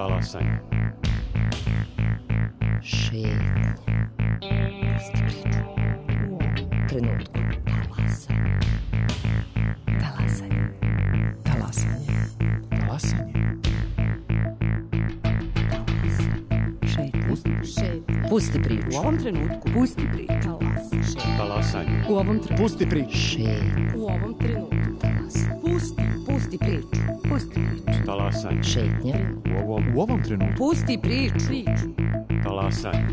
Talasanje. Šetnja. Pusti priču. U ovom trenutku. Talasanje. Talasanje. Talasanje. Talasanje. Šetnja. Pusti priču. U ovom trenutku. Pusti priču. Talasanje. U ovom trenutku. Pusti priču. Šetnja. U ovom trenutku. Pusti priču. Pusti priču. Talasanje. Šetnja. U ovom trenutku. Pusti priču. Talasanje.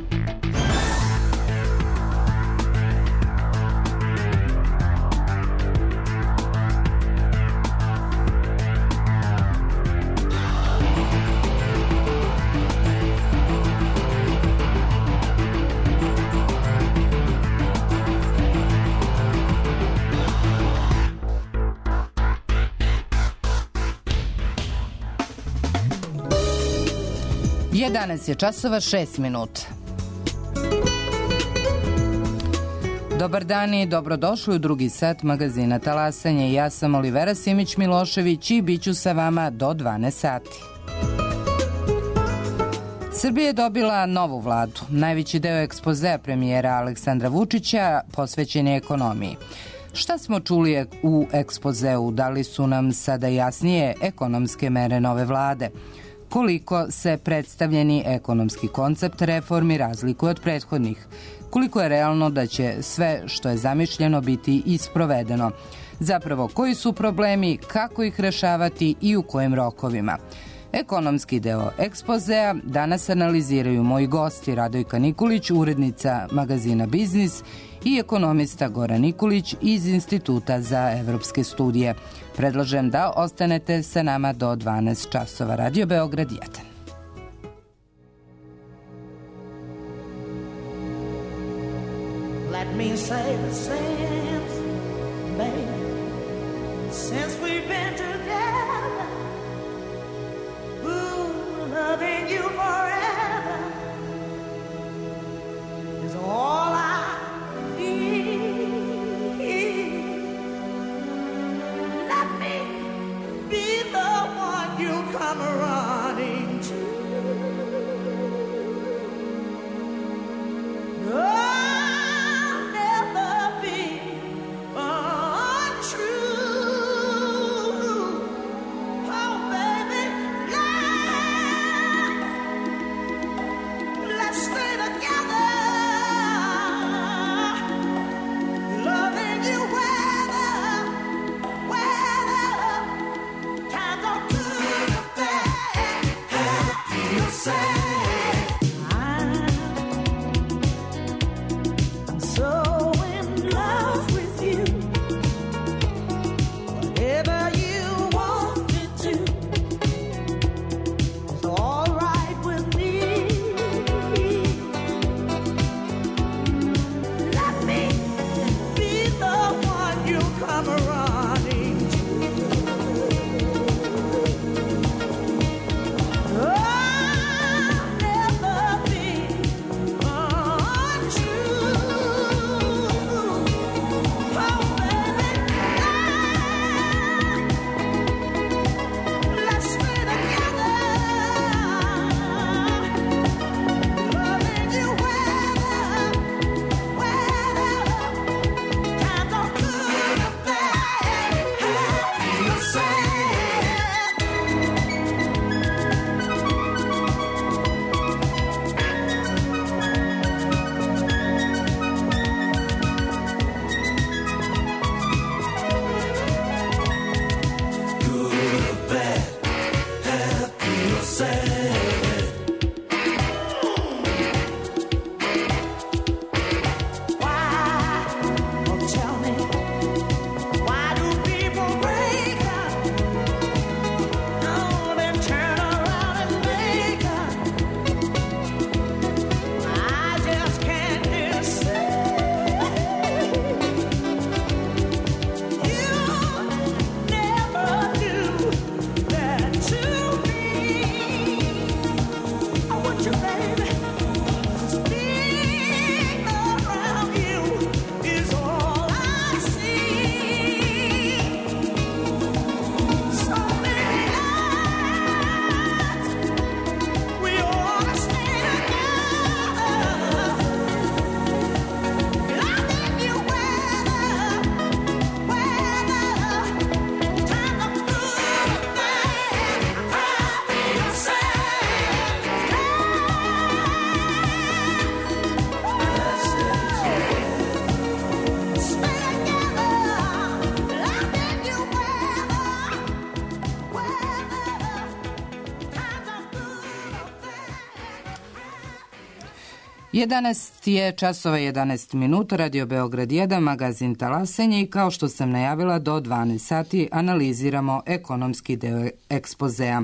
Danas je časova 6 minuta. Dobar dan i dobrodošli u drugi sat magazina Talasanje. Ja sam Olivera Simić-Milošević i bit ću sa vama do 12 sati. Srbija je dobila novu vladu. Najveći deo ekspozea premijera Aleksandra Vučića posvećen je ekonomiji. Šta smo čuli u ekspozeu? Da li su nam sada jasnije ekonomske mere nove vlade? Koliko se predstavljeni ekonomski koncept reformi razlikuje od prethodnih? Koliko je realno da će sve što je zamišljeno biti isprovedeno? Zapravo, koji su problemi, kako ih rešavati i u kojim rokovima? Ekonomski deo ekspozea danas analiziraju moji gosti Radojka Nikolić, urednica magazina Biznis, i ekonomista Goran Nikolić iz Instituta za evropske studije. Predlažem da ostanete sa nama do 12 časova. Radio Beograd 1. Let me say the same, baby, since we've been together, ooh, loving you forever is all I need. Let me be the one you come running to. I'll never be untrue. Oh, baby, let's stay together. Loving you weather, times are good or bad. 11 je časova 11 minuta, Radio Beograd 1, magazin Talasenje, i kao što sam najavila, do 12 sati analiziramo ekonomski deo ekspozea.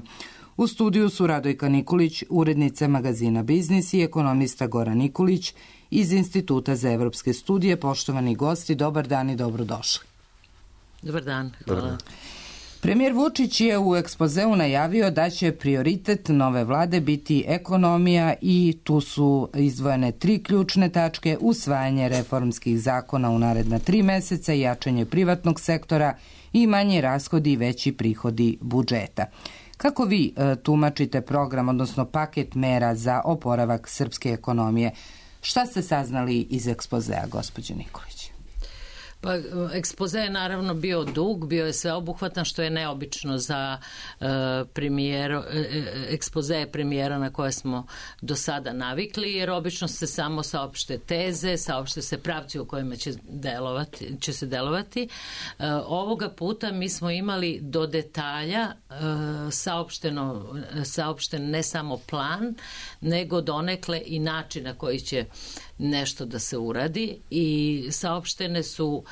U studiju su Radojka Nikolić, urednica magazina Biznis, i ekonomista Goran Nikolić iz Instituta za evropske studije. Poštovani gosti, dobar dan i dobrodošli. Dobar dan, hvala. Premijer Vučić je u ekspozeu najavio da će prioritet nove vlade biti ekonomija i tu su izdvojene 3 ključne tačke: usvajanje reformskih zakona u naredna 3 meseca, jačanje privatnog sektora i manji rashodi i veći prihodi budžeta. Kako vi tumačite program, odnosno paket mera za oporavak srpske ekonomije? Šta ste saznali iz ekspozea, gospođo Nikolić? Pa, ekspoze je naravno bio dug, bio je sveobuhvatan, što je neobično za ekspoze premijera na koje smo do sada navikli, jer obično se samo saopšte teze, saopšte se pravci u kojima će se delovati. Ovoga puta mi smo imali do detalja saopšten ne samo plan, nego donekle i način na koji će nešto da se uradi, i saopštene su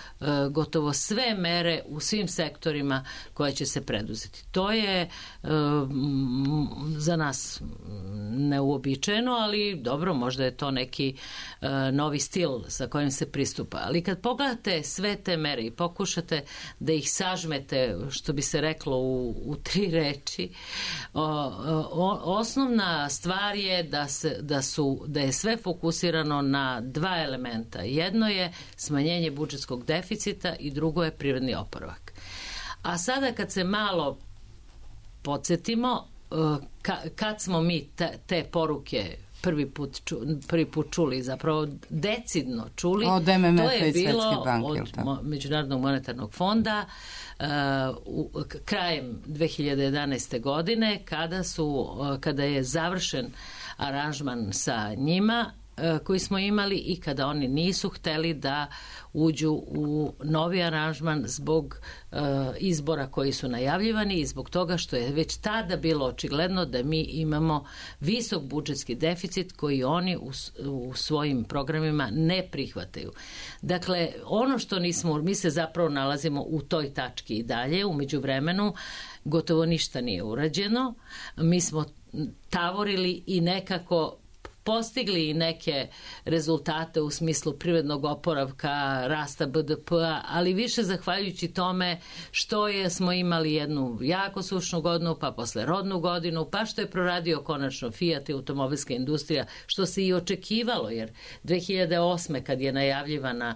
gotovo sve mere u svim sektorima koje će se preduzeti. To je za nas neuobičajeno, ali dobro, možda je to neki novi stil sa kojim se pristupa. Ali kad pogledate sve te mere i pokušate da ih sažmete, što bi se reklo u 3 reči, osnovna stvar je da je sve fokusirano na 2 elementa. Jedno je smanjenje budžetskog deficita i drugo je privredni oporavak. A sada kad se malo podsjetimo, kad smo mi te poruke prvi put čuli, zapravo decidno čuli, od MMF-a i Svetske banke, od Međunarodnog monetarnog fonda, krajem 2011. godine, kada je završen aranžman sa njima koji smo imali, i kada oni nisu hteli da uđu u novi aranžman zbog izbora koji su najavljivani i zbog toga što je već tada bilo očigledno da mi imamo visok budžetski deficit koji oni u svojim programima ne prihvataju. Dakle, ono što mi se zapravo nalazimo u toj tački i dalje. U međuvremenu gotovo ništa nije urađeno. Mi smo tavorili i nekako postigli i neke rezultate u smislu privrednog oporavka, rasta BDP-a, ali više zahvaljujući tome što smo imali jednu jako sušnu godinu, pa posle rodnu godinu, pa što je proradio konačno Fiat i automobilska industrija, što se i očekivalo, jer 2008. kad je najavljivana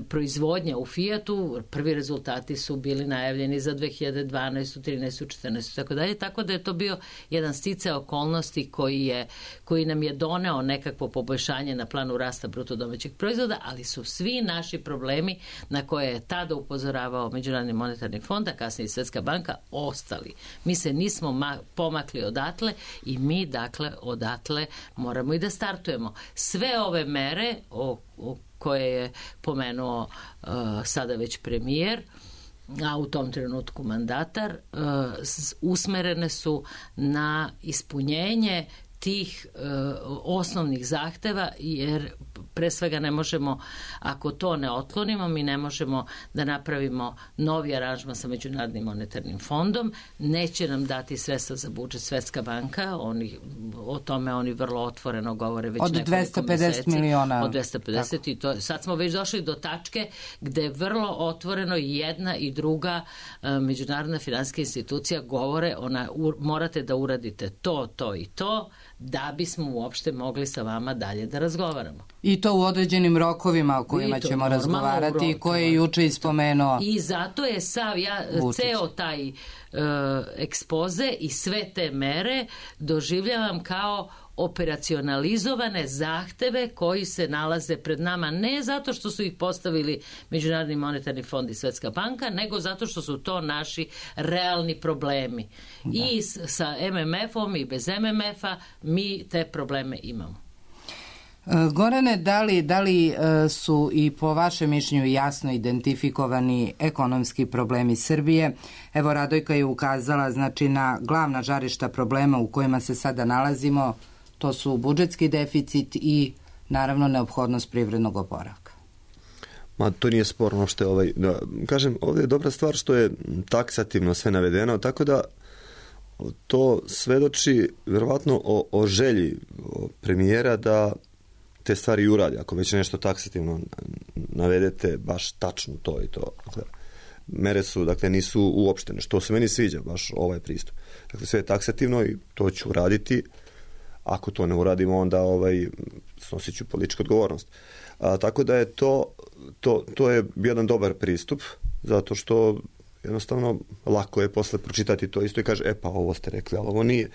proizvodnja u Fiatu, prvi rezultati su bili najavljeni za 2012. 13. 14. tako dalje, tako da je to bio jedan sticaj okolnosti koji nam je doneo nekakvo poboljšanje na planu rasta bruto domaćeg proizvoda, ali su svi naši problemi na koje je tada upozoravao Međunarodni monetarni fond, a kasnije Svetska banka, ostali. Mi se nismo pomakli odatle i mi dakle odatle moramo i da startujemo. Sve ove mere koje je pomenuo sada već premijer, a u tom trenutku mandatar, usmerene su na ispunjenje tih osnovnih zahteva, jer pre svega ne možemo, ako to ne otklonimo, mi ne možemo da napravimo novi aranžman sa Međunarodnim monetarnim fondom, neće nam dati sredstva za budžet Svetska banka, o tome oni vrlo otvoreno govore već od nekoliko 250 meseci. miliona. Od 250 i to, sad smo već došli do tačke gde vrlo otvoreno jedna i druga međunarodna finansijska institucija govore, morate da uradite to i to, da bismo uopšte mogli sa vama dalje da razgovaramo. I to u određenim rokovima o kojima ćemo razgovarati i koje je juče ispomenuo. I zato je ceo taj ekspoze i sve te mere doživljavam kao operacionalizovane zahteve koji se nalaze pred nama, ne zato što su ih postavili Međunarodni monetarni fond i Svetska banka, nego zato što su to naši realni problemi. Da. I sa MMF-om i bez MMF-a mi te probleme imamo. Gorane, da li su i po vašem mišljenju jasno identifikovani ekonomski problemi Srbije? Evo, Radojka je ukazala na glavna žarišta problema u kojima se sada nalazimo. To su budžetski deficit i naravno neophodnost privrednog oporavka. Ma to nije sporno što je kažem, ovdje je dobra stvar što je taksativno sve navedeno, tako da to svedoči vjerovatno o želji premijera da te stvari uradi. Ako već nešto taksativno navedete, baš tačno to i to. Dakle, mere su, dakle, nisu uopštene, što se meni sviđa, baš ovaj pristup. Dakle, sve je taksativno i to ću uraditi. Ako to ne uradimo, onda snosit ću političku odgovornost. Tako da je to je jedan dobar pristup, zato što jednostavno lako je posle pročitati to isto i kaže, pa ovo ste rekli, ali ovo nije.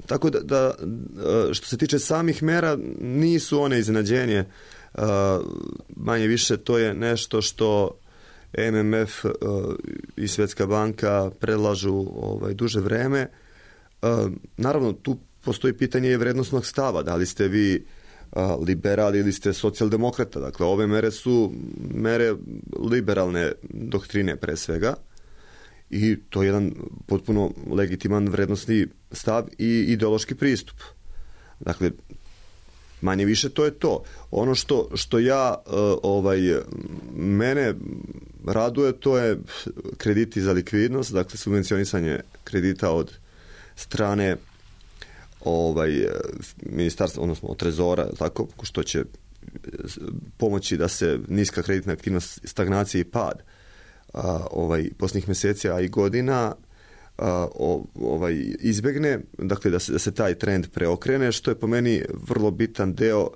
Tako da što se tiče samih mera, nisu one iznenađenje. Manje više to je nešto što MMF i Svjetska banka predlažu duže vreme. Naravno, tu postoji pitanje i vrednosnog stava. Da li ste vi liberali ili ste socijaldemokrata. Dakle, ove mere su mere liberalne doktrine pre svega i to je jedan potpuno legitiman vrednosni stav i ideološki pristup. Dakle, manje više to je to. Ono što mene raduje, to je krediti za likvidnost, dakle subvencionisanje kredita od strane ministarstva, odnosno od trezora, tako, što će pomoći da se niska kreditna aktivnost, stagnacija i pad posljednjih mjeseci, a i godina izbjegne, dakle da se taj trend preokrene, što je po meni vrlo bitan deo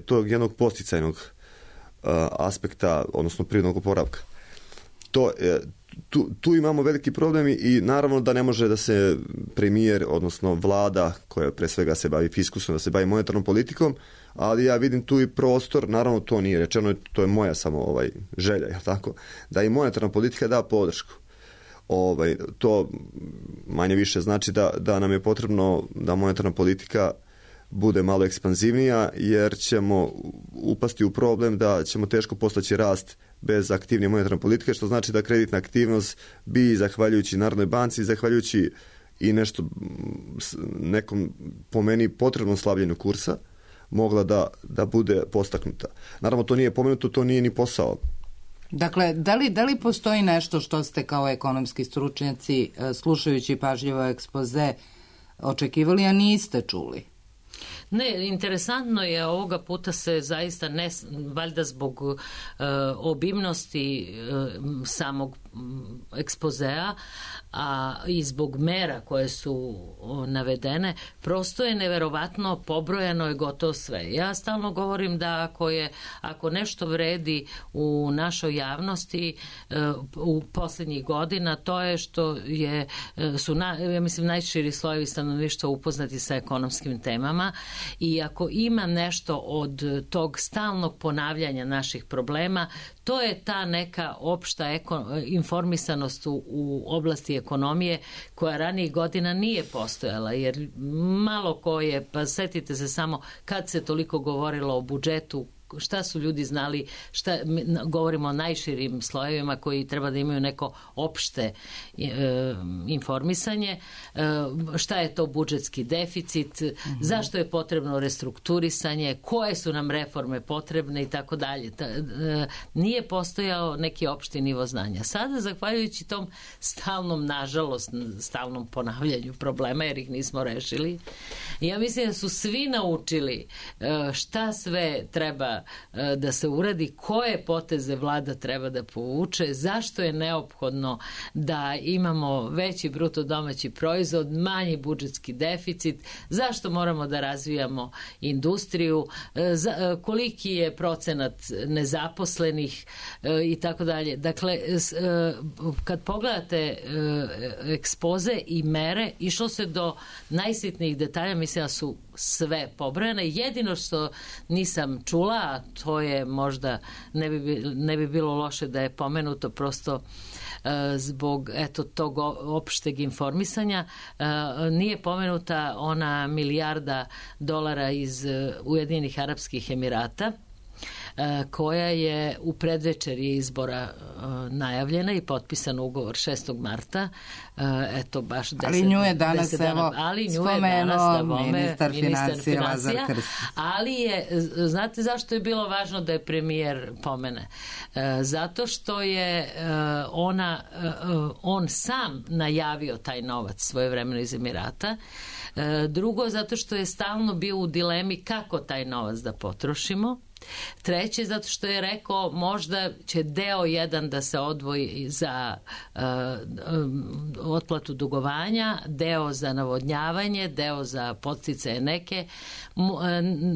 tog jednog posticajnog aspekta, odnosno privrednog oporavka. Tu imamo veliki problem i naravno da ne može da se premijer, odnosno vlada koja pre svega se bavi fiskusom, da se bavi monetarnom politikom, ali ja vidim tu i prostor, naravno to nije rečeno, to je moja samo želja, je tako, da i monetarna politika da podršku. To manje više znači da nam je potrebno da monetarna politika bude malo ekspanzivnija, jer ćemo upasti u problem da ćemo teško postići rast bez aktivnije monetarne politike, što znači da kreditna aktivnost bi, zahvaljujući Narodnoj banci, zahvaljujući i nekom, po meni, potrebnom slabljenju kursa, mogla da bude postaknuta. Naravno, to nije pomenuto, to nije ni posao. Dakle, da li postoji nešto što ste kao ekonomski stručnjaci, slušajući pažljivo ekspoze, očekivali, a niste čuli? Ne, interesantno je, ovoga puta se zaista valjda zbog obimnosti samog ekspozea, a i zbog mera koje su navedene, prosto je neverovatno, pobrojano je gotovo sve. Ja stalno govorim da ako nešto vredi u našoj javnosti u posljednjih godina, to je što su ja mislim najširi slojevi stanovništva upoznati sa ekonomskim temama, i ako ima nešto od tog stalnog ponavljanja naših problema, to je ta neka opšta informisanost u oblasti ekonomije koja ranijih godina nije postojala, jer malo ko je, pa setite se samo kad se toliko govorilo o budžetu, šta su ljudi znali, govorimo o najširim slojevima koji treba da imaju neko opšte informisanje, šta je to budžetski deficit, zašto je potrebno restrukturisanje, koje su nam reforme potrebne i tako dalje. Nije postojao neki opšti nivo znanja. Sada, zahvaljujući tom stalnom, nažalost, stalnom ponavljanju problema, jer ih nismo rešili, ja mislim da su svi naučili šta sve treba da se uradi, koje poteze vlada treba da povuče, zašto je neophodno da imamo veći bruto domaći proizvod, manji budžetski deficit, zašto moramo da razvijamo industriju, koliki je procenat nezaposlenih i tako dalje. Dakle, kad pogledate ekspoze i mere, išlo se do najsitnijih detalja, mislim da su sve pobrojane. Jedino što nisam čula, a to je možda ne bi bilo loše da je pomenuto, prosto zbog tog opšteg informisanja, nije pomenuta ona $1 milijarda iz Ujedinjenih Arapskih Emirata, koja je u predvečerji izbora najavljena i potpisan ugovor 6. marta. Eto, baš 10 ali nju je danas, spomenuo ministar finansija Lazar Krstić. Ali je, znate zašto je bilo važno da je premijer pomene? Zato što je on sam najavio taj novac svojevremeno iz Emirata. Drugo, zato što je stalno bio u dilemi kako taj novac da potrošimo. Treće, zato što je rekao možda će deo jedan da se odvoji za otplatu dugovanja, deo za navodnjavanje, deo za podsticaje neke,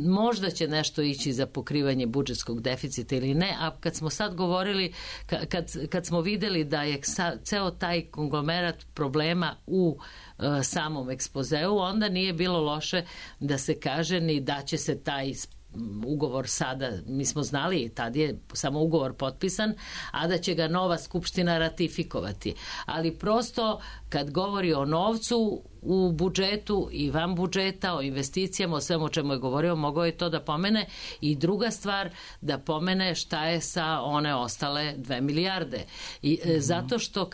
možda će nešto ići za pokrivanje budžetskog deficita ili ne, a kad smo sad govorili, kad smo videli da je ceo taj konglomerat problema u samom ekspozeu, onda nije bilo loše da se kaže ni da će se taj ugovor sada, mi smo znali, tad je samo ugovor potpisan, a da će ga nova skupština ratifikovati. Ali prosto kad govori o novcu u budžetu i van budžeta, o investicijama, o svemu o čemu je govorio, mogao je to da pomene. I druga stvar, da pomene šta je sa one ostale 2 milijarde. I, zato što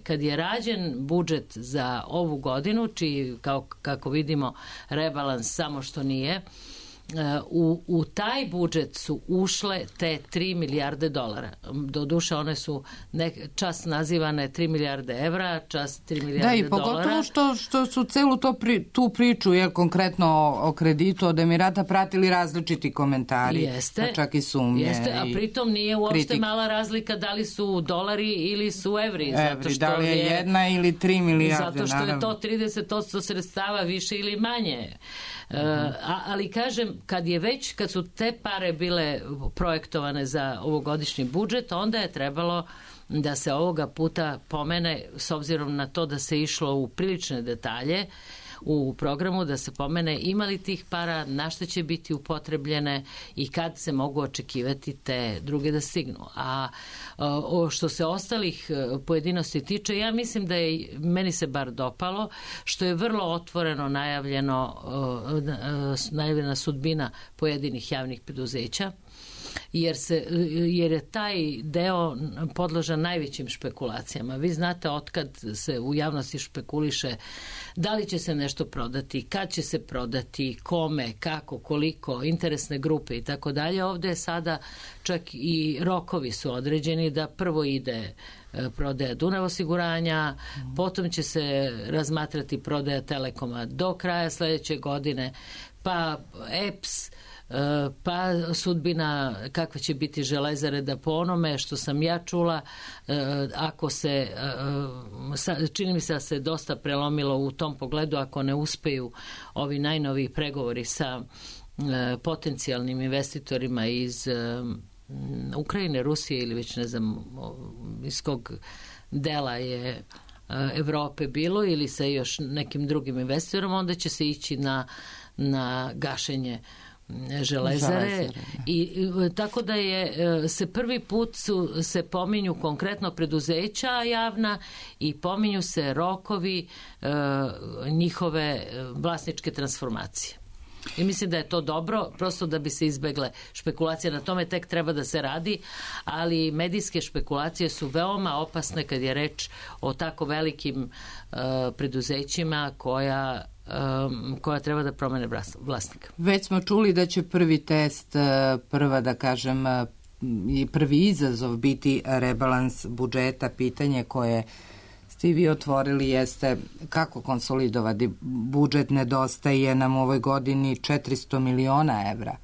kad je rađen budžet za ovu godinu, čiji, kako vidimo, rebalans samo što nije, u taj budžet su ušle te 3 milijarde dolara. Doduše one su čas nazivane 3 milijarde evra, čas 3 milijarde dolara. Da, i pogotovo što su celu tu priču, konkretno o kreditu od Emirata, pratili različiti komentari. Jeste, pa čak i sumnje. Jeste, a pritom nije uopšte kritik. Mala razlika da li su dolari ili su evri. Zato što da li je 1 ili 3 milijarde. Zato što je to 30% sredstava više ili manje. Ali kažem, kad su te pare bile projektovane za ovogodišnji budžet, onda je trebalo da se ovoga puta pomene, s obzirom na to da se išlo u prilične detalje u programu, da se pomene imali tih para, na što će biti upotrebljene i kad se mogu očekivati te druge da stignu. A što se ostalih pojedinosti tiče, ja mislim da je, meni se bar dopalo, što je vrlo otvoreno najavljena sudbina pojedinih javnih preduzeća, jer je taj deo podložan najvećim špekulacijama. Vi znate otkad se u javnosti špekuliše da li će se nešto prodati, kad će se prodati, kome, kako, koliko, interesne grupe i tako dalje. Ovde je sada čak i rokovi su određeni da prvo ide prodaja Dunav osiguranja, potom će se razmatrati prodaja Telekoma do kraja sledeće godine, pa EPS, pa sudbina kakva će biti Železare, da po onome što sam ja čula, ako se čini mi se da se dosta prelomilo u tom pogledu, ako ne uspeju ovi najnoviji pregovori sa potencijalnim investitorima iz Ukrajine, Rusije ili već ne znam iz kog dela je Evrope bilo, ili sa još nekim drugim investitorom, onda će se ići na gašenje Železare. I tako da se prvi put se pominju konkretno preduzeća javna i pominju se rokovi njihove vlasničke transformacije. I mislim da je to dobro, prosto da bi se izbegle špekulacije. Na tome tek treba da se radi, ali medijske špekulacije su veoma opasne kad je reč o tako velikim preduzećima koja treba da promene vlasnika. Već smo čuli da će prvi test, i prvi izazov biti rebalans budžeta. Pitanje koje ste vi otvorili jeste kako konsolidovati budžet. Nedostaje nam u ovoj godini 400 miliona evra.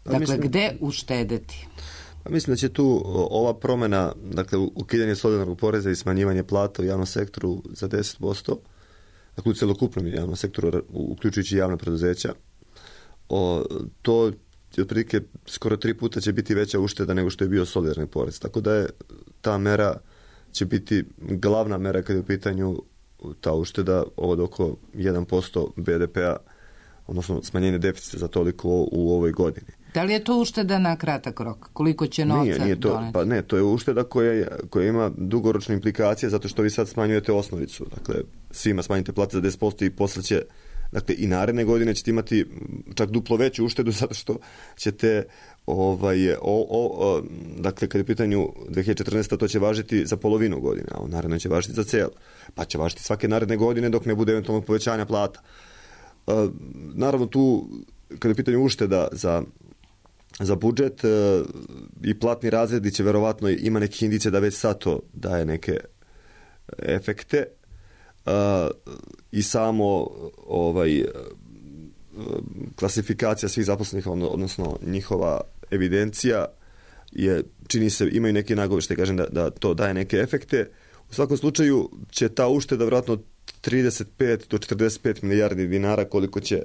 Dakle, gde uštedeti? Mislim da će tu ova promena, dakle ukidanje solidarnog poreza i smanjivanje plata u javnom sektoru za 10%, dakle u celokupnom javnom sektoru, uključujući javna preduzeća, to otprilike skoro 3 puta će biti veća ušteda nego što je bio solidarni porez. Tako da je ta mera će biti glavna mera kada je u pitanju ta ušteda od oko 1% BDP-a, odnosno smanjenje deficita za toliko u ovoj godini. Da li je to ušteda na kratak rok? Koliko će novca nije to, doneti? Pa ne, to je ušteda koja ima dugoročne implikacije zato što vi sad smanjujete osnovicu. Dakle, svima smanjite plate za 10% i posle će Dakle, i naredne godine ćete imati čak duplo veću uštedu zato što ćete dakle, kad je u pitanju 2014. to će važiti za polovinu godine, a u narednoj će važiti za cijelo. Pa će važiti svake naredne godine dok ne bude eventualno povećanja plata. Naravno, tu, kad je u pitanju ušteda za budžet i platni razredi će verovatno ima nekih indicija da već sad to daje neke efekte i samo klasifikacija svih zaposlenih, odnosno njihova evidencija je, čini se, imaju neke nagoveštaje, kažem da to daje neke efekte. U svakom slučaju će ta ušteda vjerojatno 35 do 45 milijardi dinara, koliko će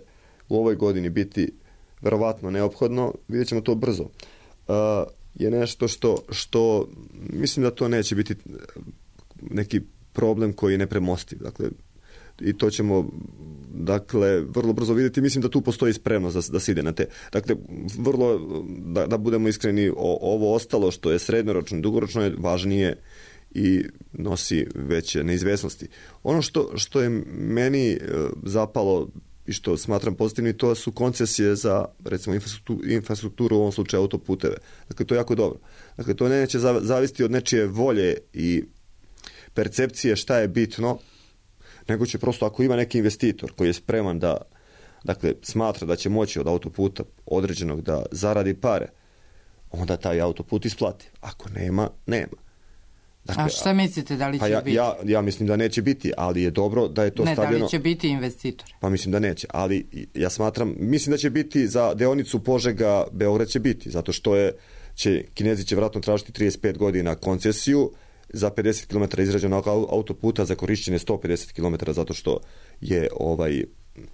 u ovoj godini biti verovatno neophodno, vidjet ćemo to brzo. Je nešto što mislim da to neće biti neki problem koji je nepremostiv. Dakle, i to ćemo vrlo brzo vidjeti. Mislim da tu postoji spremnost da se ide na te. Dakle, vrlo, da budemo iskreni, ovo ostalo što je srednjoročno i dugoročno je važnije i nosi veće neizvesnosti. Ono što je meni zapalo i što smatram pozitivnim, to su koncesije za, recimo, infrastrukturu, u ovom slučaju autoputeve. Dakle, to je jako dobro. Dakle, to neće zavisiti od nečije volje i percepcije šta je bitno, nego će prosto, ako ima neki investitor koji je spreman da, dakle, smatra da će moći od autoputa određenog da zaradi pare, onda taj autoput isplati. Ako nema, nema. Dakle, a šta mislite, da li će biti? Ja mislim da neće biti, ali je dobro da je to stavljeno. Da li će biti investitor? Pa mislim da neće, ali ja mislim da će biti za deonicu Požega-Beograd će biti, zato što Kinezi će vjerojatno tražiti 35 godina koncesiju za 50 km izrađenog autoputa za korišćenje 150 km, zato što je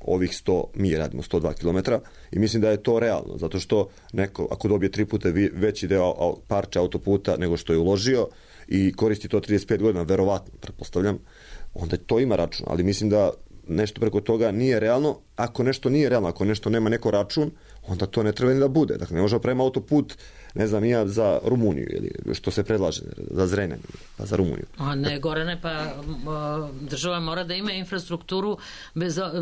ovih 100, mi radimo 102 km i mislim da je to realno, zato što neko ako dobije 3 puta veći deo parče autoputa nego što je uložio i koristi to 35 godina, verovatno, pretpostavljam, onda to ima račun, ali mislim da nešto preko toga nije realno. Ako nešto nije realno, ako nešto nema neko račun, onda to ne treba ni da bude. Dakle, ne može prema autoput, ne znam, ja za Rumuniju, ili što se predlaže, za Zrenjanin, pa za Rumuniju. A ne, Gorane, pa država mora da ima infrastrukturu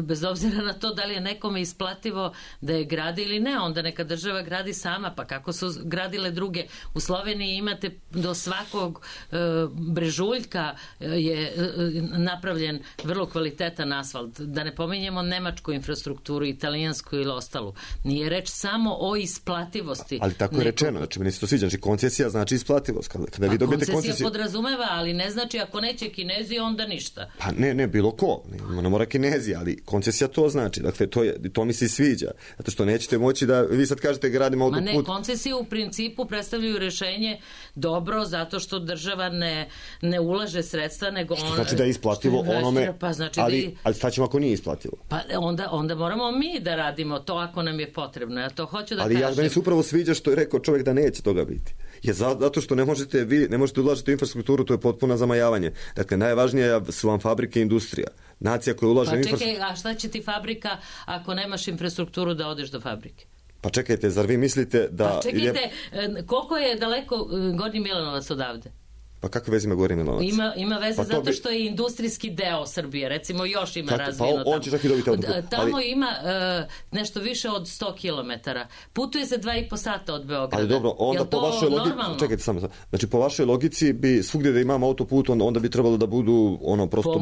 bez obzira na to da li je nekome isplativo da je gradi ili ne, onda neka država gradi sama, pa kako su gradile druge. U Sloveniji imate do svakog brežuljka je napravljen vrlo kvalitetan asfalt. Da ne pominjemo nemačku infrastrukturu, italijansku ili ostalu. Nije reč samo o isplativosti. Ali tako je rečeno, znači meni se to sviđa, znači koncesija znači isplativost. Kada vi dobijete koncesija podrazumeva, ali ne znači ako neće Kinezi, onda ništa. Pa ne bilo ko, ne mora Kinezi, ali koncesija to znači, dakle to mi se sviđa, zato što nećete moći da vi sad kažete gradimo autoput. Ma ne, koncesije u principu predstavljaju rješenje dobro, zato što država ne ulaže sredstva, nego što znači da je isplativo onome, pa znači ali šta ćemo ako nije isplativo? Pa onda moramo mi da radimo to ako nam je potrebno, ja to hoću da kažem. Ali meni se upravo sviđa što je rekao čovjek da neće toga biti. Je zato što ne možete ulažiti u infrastrukturu, to je potpuno zamajavanje. Dakle, najvažnije su vam fabrike i industrija. Nacija koja ulaže u infrastrukturu. Pa čekaj, a šta će ti fabrika ako nemaš infrastrukturu da odeš do fabrike? Pa čekajte, zar vi mislite da... Pa čekajte, koliko je daleko Gornji Milanovac odavde? Pa kakve veze ima Gornji Milanovac? Ima veze zato što je industrijski deo Srbije, recimo još ima razvijeno tamo. On će čak i dobiti autoput. Tamo ima nešto više od 100 km. Putuje se 2,5 sata od Beograda. Ali dobro, onda po vašoj logici, čekajte samo, znači po vašoj logici bi svugdje da imamo autoput, onda bi trebalo da budu prosto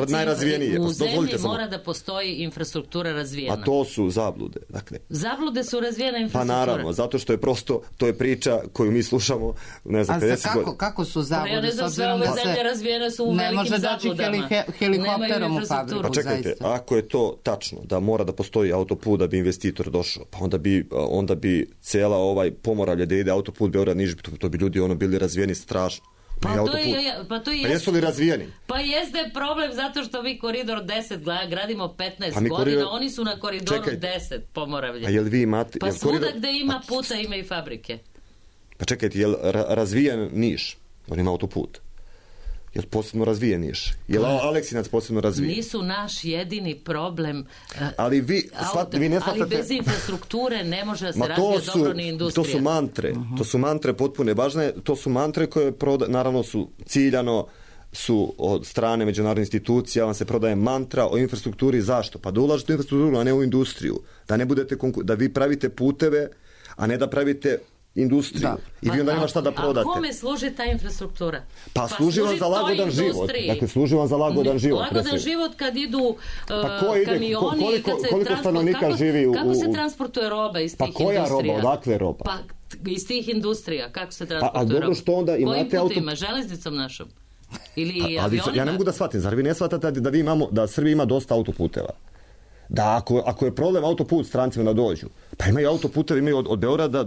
najrazvijenije. U zemlji mora da postoji infrastruktura razvijena. A to su zablude. Dakle, zablude su razvijena infrastruktura. Pa naravno, zato što je prosto, to je priča koju mi slušamo, ne znam, 50 godina. Kako su zablude? Ja ne znam, sve ove zemlje razvijene su u velikim zabludama. Ne može daći helikopterom u fabriku. Pa čekajte, ako je to tačno, da mora da postoji autoput da bi investitor došao, pa onda bi cela Pomoravlje da ide autoput Beograd-Niš, to bi ljudi bili razvijeni strašno. Jesu li razvijeni? Pa jeste problem zato što vi koridor 10 gradimo 15 godina, oni su na koridoru 10 Pomoravlje. A jel vi imate... Pa svuda gde ima puta ima i fabrike. Pa čekajte, jel razvijen Niš? On ima autoput. Je li posebno razvijen Niš? Je li Aleksinac posebno razvijen? Nisu naš jedini problem. Ali vi ne shvatate... Ali bez infrastrukture ne može da se razvije dobro ni industrija. To su mantre. To su mantre potpune važne. To su mantre koje naravno su ciljano su od strane međunarodnih institucija, vam se prodaje mantra o infrastrukturi. Zašto? Pa da ulažete u infrastrukturu, a ne u industriju. Da ne budete da vi pravite puteve, a ne da pravite industriju. Da. I vi onda nema šta da prodate. A kome služi ta infrastruktura? Pa služi vam za lagodan život. Dakle, služi vam za lagodan život. Lagodan život kad idu kamioni, kad se koliko stanovnika živi u... Kako se transportuje roba iz tih industrija? Pa koja roba? Odakle roba? Pa iz tih industrija. Kako se transportuje roba? A dobro što onda imate auto... Kojim putima? Železnicom našom? Ili avionima? Ja ne mogu da shvatim. Zar vi ne shvatate da Srbija ima dosta autoputeva? Da ako je problem autoput strancima da dođu, pa imaju autoputeve, imaju od Beograda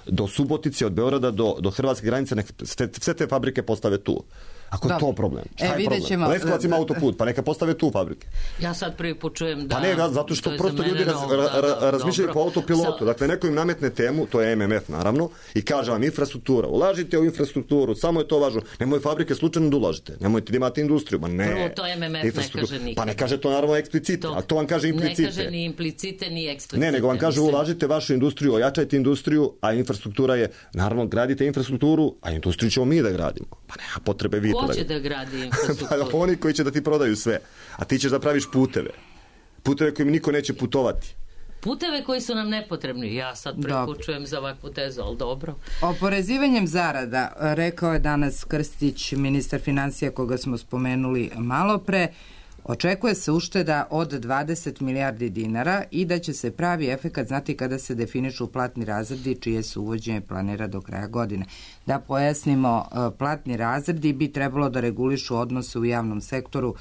do Subotice, od Beograda do hrvatske granice, sve te fabrike postave tu. Ako je to problem. Šta je problem? Leskovac ima autoput, pa neka postave tu fabrike. Ja sad prvi put čujem da... Pa ne, zato što prosto ljudi razmišljaju po autopilotu. Dakle, neko im nametne temu, to je MMF naravno, i kaže vam infrastruktura. Ulažite u infrastrukturu, samo je to važno. Nemoj fabrike slučajno da ulažite. Nemojte da imate industriju. Ma ne. Prvo, to MMF ne kaže nikad. Pa ne kaže to naravno eksplicite, a to vam kaže implicite. Ne kaže ni implicite, ni eksplicite. Ne, nego vam kaže ulažite vašu industriju, ojačajte industriju, a infrastruktura je, naravno, gradite infrastrukturu, a industriju ćemo mi da gradimo. Pa nema potrebe vi Ko će da gradi infrastrukturu? Pa oni koji će da ti prodaju sve, a ti ćeš da praviš puteve. Puteve kojim niko neće putovati. Puteve koji su nam nepotrebni. Ja sad prekučujem za ovakvu tezu, ali dobro. Oporezivanjem zarada, rekao je danas Krstić, ministar financija koga smo spomenuli malo pre, očekuje se ušteda od 20 milijardi dinara i da će se pravi efekat znati kada se definišu platni razredi čije se uvođenje planira do kraja godine. Da pojasnimo, platni razredi bi trebalo da regulišu odnose u javnom sektoru,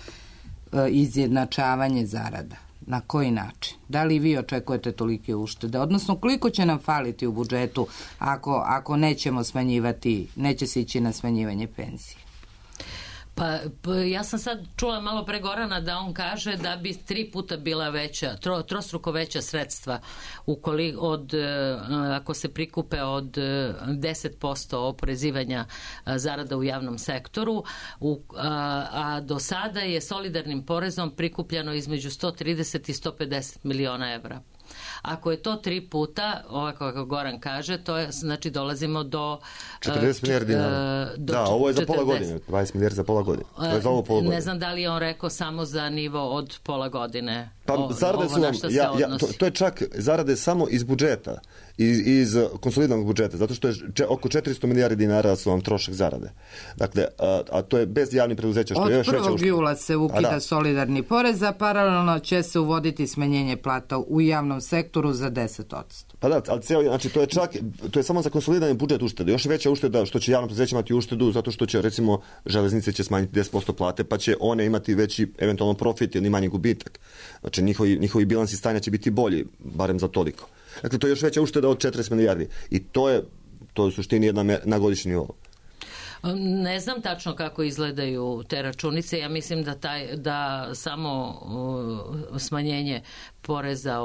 izjednačavanje zarada. Na koji način? Da li vi očekujete tolike uštede? Odnosno, koliko će nam faliti u budžetu ako nećemo smanjivati, neće se ići na smanjivanje penzije? Pa ja sam sad čula malo pre Gorana da on kaže da bi 3 puta bila veća, trostruko veća sredstva ako se prikupe od 10% oporezivanja zarada u javnom sektoru, a do sada je solidarnim porezom prikupljeno između 130 i 150 miliona evra. Ako je to 3 puta, ovako kako Goran kaže, to je, znači dolazimo do 40 milijardi dinara. Da, ovo je za pola godine, 20 milijardi za pola godine. To je za ovo pola godine. Ne znam da li je on rekao samo za nivo od pola godine. Pa zarade su vam, to je čak zarade samo iz budžeta, iz konsolidovanog budžeta, zato što je oko 400 milijardi dinara su vam trošak zarade. Dakle, a to je bez javnih preduzeća, što je još veća. Od 1. jula se ukida solidarni porez, a paralelno će se uvoditi smanjenje plata u javnom sektoru za 10%. Pa da, ali znači to je samo za konsolidovani budžet uštede. Još veća ušteda što će javno preduzeće imati uštedu, zato što će, recimo, železnice će smanjiti 10% plate, pa će one imati veći eventualno profit ili manji gubitak. Znači, njihovi bilansi stanja će biti bolji, barem za toliko. Dakle, to je još veća ušteda od 40 milijardi. I to je u suštini jedna na godišnji nivou. Ne znam tačno kako izgledaju te računice. Ja mislim da samo smanjenje poreza,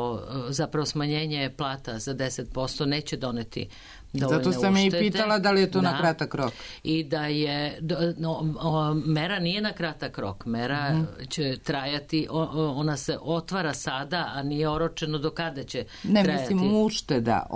zapravo smanjenje plata za 10% neće doneti dovoljne uštede. Zato sam i pitala da li je to na kratak rok. I da je, mera nije na kratak rok. Mera će trajati, ona se otvara sada, a nije oročeno do kada će trajati. Ne, mislim ušteda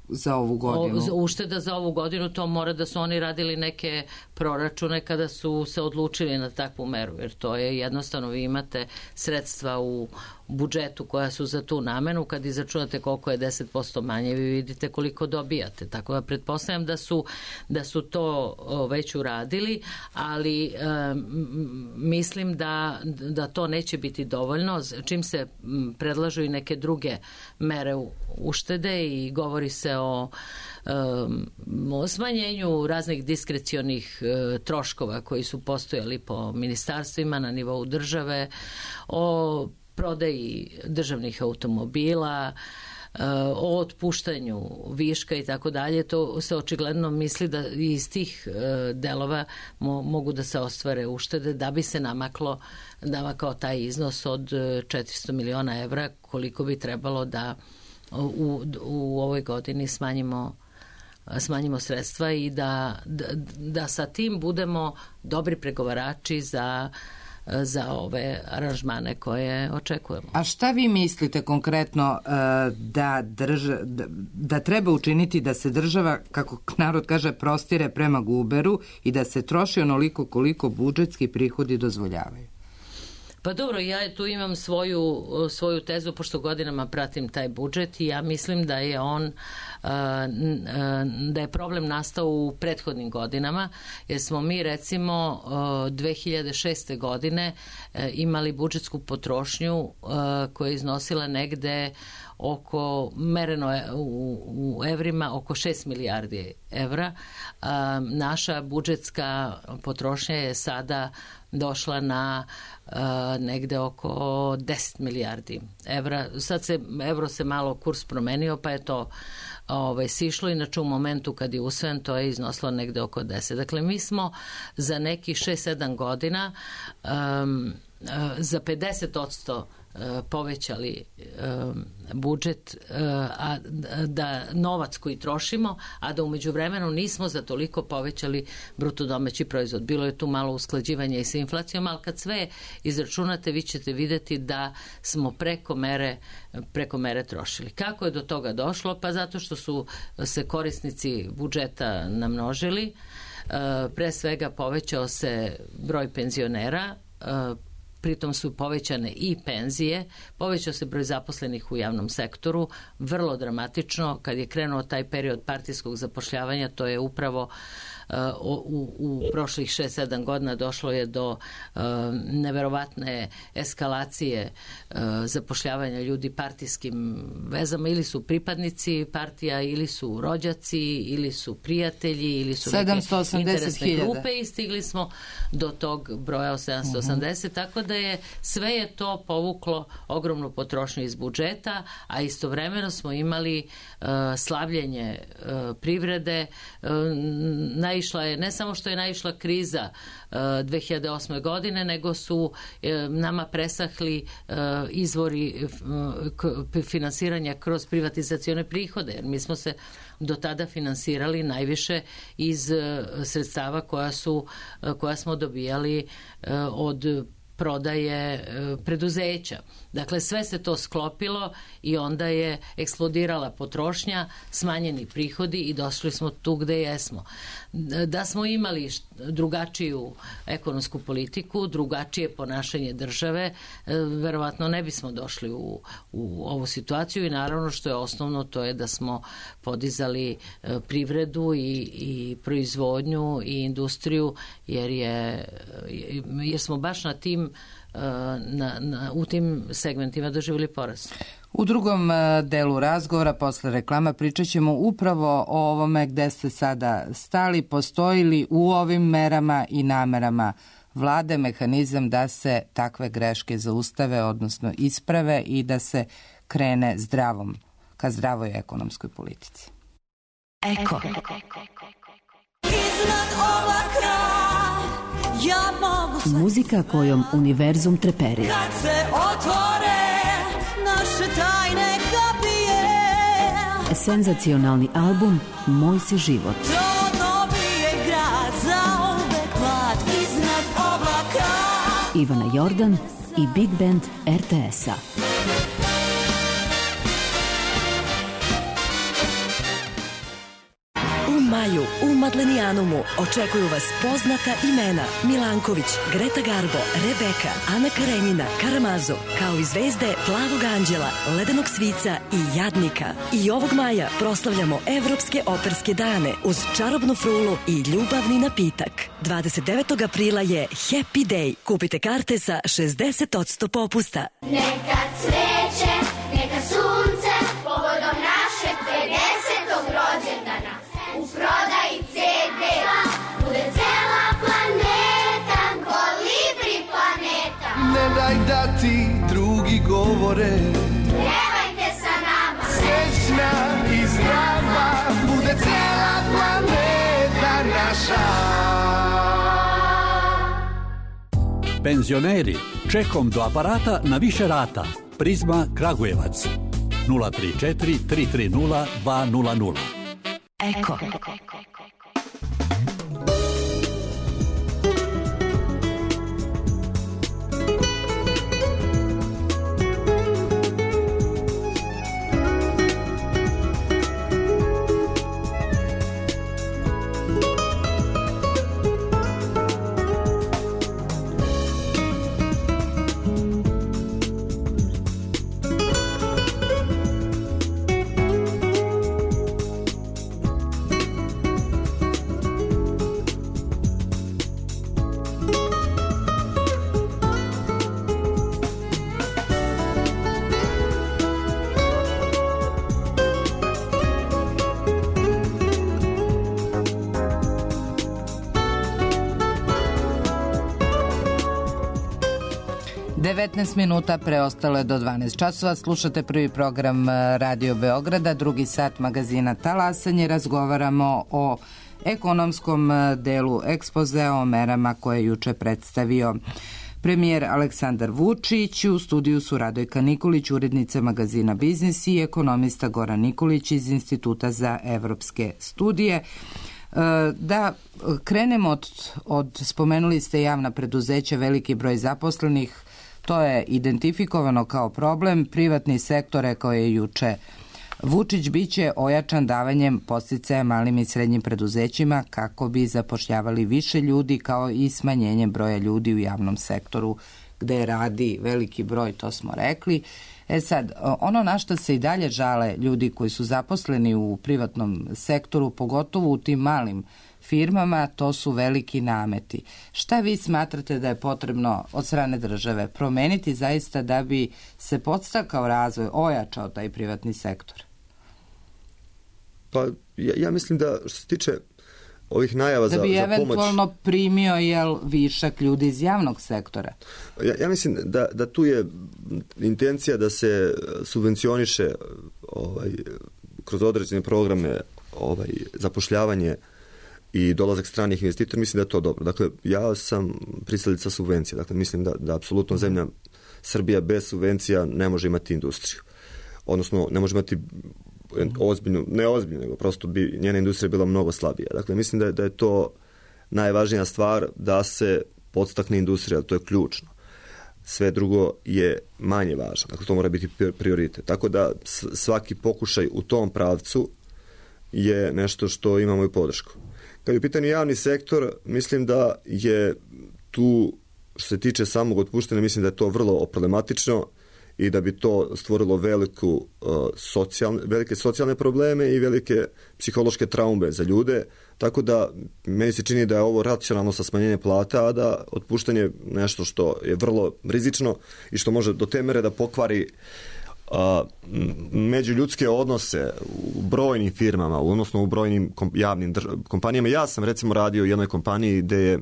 za ovu godinu. Ušteda za ovu godinu, to mora da su oni radili neke proračune kada su se odlučili na takvu meru, jer to je jednostavno, vi imate sredstva u budžetu koja su za tu namenu, kad izračunate koliko je 10% manje, vi vidite koliko dobijate. Tako da pretpostavljam da su to već uradili, ali mislim da to neće biti dovoljno. Čim se predlažu i neke druge mere uštede i govori se o smanjenju raznih diskrecionih troškova koji su postojali po ministarstvima na nivou države, o prodaji državnih automobila, o otpuštanju viška i tako dalje, to se očigledno misli da iz tih delova mogu da se ostvare uštede da bi se namakao taj iznos od 400 miliona evra, koliko bi trebalo da u ovoj godini smanjimo sredstva i da sa tim budemo dobri pregovarači za za ove aranžmane koje očekujemo. A šta vi mislite konkretno da treba učiniti da se država, kako narod kaže, prostire prema guberu i da se troši onoliko koliko budžetski prihodi dozvoljavaju? Pa dobro, ja tu imam svoju tezu, pošto godinama pratim taj budžet i ja mislim da je da je problem nastao u prethodnim godinama, jer smo mi recimo 2006. godine imali budžetsku potrošnju koja je iznosila negde mereno u evrima, oko 6 milijardi evra. Naša budžetska potrošnja je sada došla na negde oko 10 milijardi evra. Sad evro se malo kurs promenio, pa je to sišlo, inače u momentu kad je usvojen to je iznosilo negde oko 10. Dakle, mi smo za nekih 6-7 godina za 50% povećali budžet, a da novac koji trošimo, a da umeđu vremenu nismo za toliko povećali bruto domaći proizvod. Bilo je tu malo usklađivanja i sa inflacijom, ali kad sve izračunate, vi ćete vidjeti da smo preko mere trošili. Kako je do toga došlo? Pa zato što su se korisnici budžeta namnožili, pre svega povećao se broj penzionera, pritom su povećane i penzije, povećao se broj zaposlenih u javnom sektoru, vrlo dramatično. Kad je krenuo taj period partijskog zapošljavanja, to je upravo u prošlih 6-7 godina došlo je do neverovatne eskalacije zapošljavanja ljudi partijskim vezama, ili su pripadnici partija, ili su rođaci, ili su prijatelji, ili su neke interesne grupe i stigli smo do tog broja od 780, tako da sve je to povuklo ogromnu potrošnju iz budžeta, a istovremeno smo imali slabljenje privrede. Ne samo što je naišla kriza 2008. godine, nego su nama presahli izvori finansiranja kroz privatizacione prihode, jer mi smo se do tada finansirali najviše iz sredstava koja smo dobijali od prodaje preduzeća. Dakle, sve se to sklopilo i onda je eksplodirala potrošnja, smanjeni prihodi i došli smo tu gde jesmo. Da smo imali drugačiju ekonomsku politiku, drugačije ponašanje države, verovatno ne bismo došli u ovu situaciju i naravno što je osnovno, to je da smo podizali privredu i proizvodnju i industriju, jer smo baš na tim u tim segmentima doživjeli porast. U drugom delu razgovora posle reklama pričat ćemo upravo o ovome gde ste sada stali. Postoji li u ovim merama i namerama vlade mehanizam da se takve greške zaustave, odnosno isprave i da se krene ka zdravoj ekonomskoj politici? Eko. Iznad oblaka ja mogu sve. Muzika kojom univerzum treperi. Kad se otvore naše tajne kapije. Senzacionalni album Moj si život. To dobije grad za uvek mlad iznad oblaka. Ivana Jordan i Big Band RTS-a. Maju u Madlenijanumu očekuju vas poznata imena Milanković, Greta Garbo, Rebeka, Ana Karenjina, Karamazo, kao i zvezde Plavog anđela, Ledenog svica i Jadnika. I ovog maja proslavljamo Evropske operske dane uz čarobnu frulu i ljubavni napitak. 29. aprila je Happy Day. Kupite karte sa 60% popusta. Neka cveće, neka sunce, povodom našeg 50. rođendana. U prodaji CD-a bude cela planeta, Kolibri planeta. Ne daj da ti drugi govore, Pjevajte sa nama, srećna i zdrava, bude cela planeta naša. Penzioneri, čekom do aparata na više rata. Prizma Kragujevac 034 330 200. Eko. 19 minuta preostalo je do 12 časova. Slušate prvi program Radio Beograda, drugi sat magazina Talasanje. Razgovaramo o ekonomskom delu ekspozea, o merama koje je juče predstavio premijer Aleksandar Vučić. U studiju su Radojka Nikolić, urednica magazina Biznis, i ekonomista Goran Nikolić iz Instituta za evropske studije. Da krenemo spomenuli ste javna preduzeća, veliki broj zaposlenih, to je identifikovano kao problem. Privatni sektor, rekao je juče Vučić, biće ojačan davanjem podsticaja malim i srednjim preduzećima kako bi zapošljavali više ljudi, kao i smanjenjem broja ljudi u javnom sektoru gde radi veliki broj, to smo rekli. Sad, ono na što se i dalje žale ljudi koji su zaposleni u privatnom sektoru, pogotovo u tim malim firmama, to su veliki nameti. Šta vi smatrate da je potrebno od strane države promeniti zaista da bi se podstakao razvoj, ojačao taj privatni sektor? Pa ja mislim da što se tiče ovih najava za pomoć... Da bi eventualno primio višak ljudi iz javnog sektora. Ja mislim da tu je intencija da se subvencioniše kroz određene programe zapošljavanje i dolazak stranih investitora. Mislim da je to dobro. Dakle, ja sam pristalica subvencija. Dakle, mislim da apsolutno zemlja Srbija bez subvencija ne može imati industriju. Odnosno, ne može imati ozbiljnu, ne ozbiljnu, nego prosto bi njena industrija bila mnogo slabija. Dakle, mislim da je to najvažnija stvar, da se podstakne industrija, to je ključno. Sve drugo je manje važno. Dakle, to mora biti prioritet. Tako da svaki pokušaj u tom pravcu je nešto što imamo i podršku. Kad je u pitanju javni sektor, mislim da je tu, što se tiče samog otpuštanja, mislim da je to vrlo problematično i da bi to stvorilo velike socijalne probleme i velike psihološke traume za ljude, tako da meni se čini da je ovo racionalno sa smanjenjem plata, a da otpuštanje nešto što je vrlo rizično i što može do te mere da pokvari međuljudske odnose u brojnim firmama, odnosno u brojnim javnim kompanijama. Ja sam recimo radio u jednoj kompaniji gde je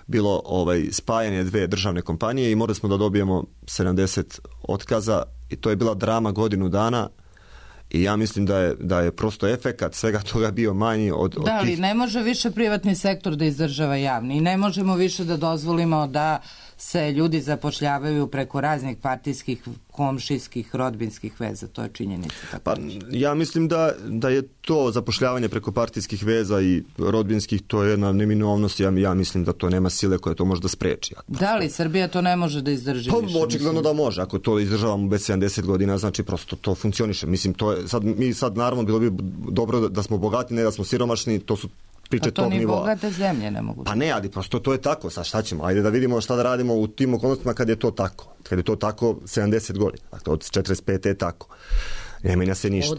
bilo spajanje dve državne kompanije i morali smo da dobijemo 70 otkaza i to je bila drama godinu dana i ja mislim da je prosto efekat svega toga bio manji od Da, ali ne može više privatni sektor da izdržava javni i ne možemo više da dozvolimo da se ljudi zapošljavaju preko raznih partijskih, komšijskih, rodbinskih veza. To je činjenica. Pa, ja mislim da je to zapošljavanje preko partijskih veza i rodbinskih, to je jedna neminovnost. Ja mislim da to nema sile koja to može da spreči. Da li Srbija to ne može da izdrži više? Očigledno da može. Ako to izdržavamo bez 70 godina, znači prosto to funkcioniše. Mislim, to je, sad naravno bilo bi dobro da smo bogati, ne da smo siromašni, to su priče tog nivoa. Pa to ni bogate zemlje ne mogu. Pa ne, ali prosto to je tako. Sad šta ćemo? Ajde da vidimo šta da radimo u tim okolnostima kad je to tako. Kad je to tako 70 godina. Dakle, od 45. je tako. Ne menja se ništa.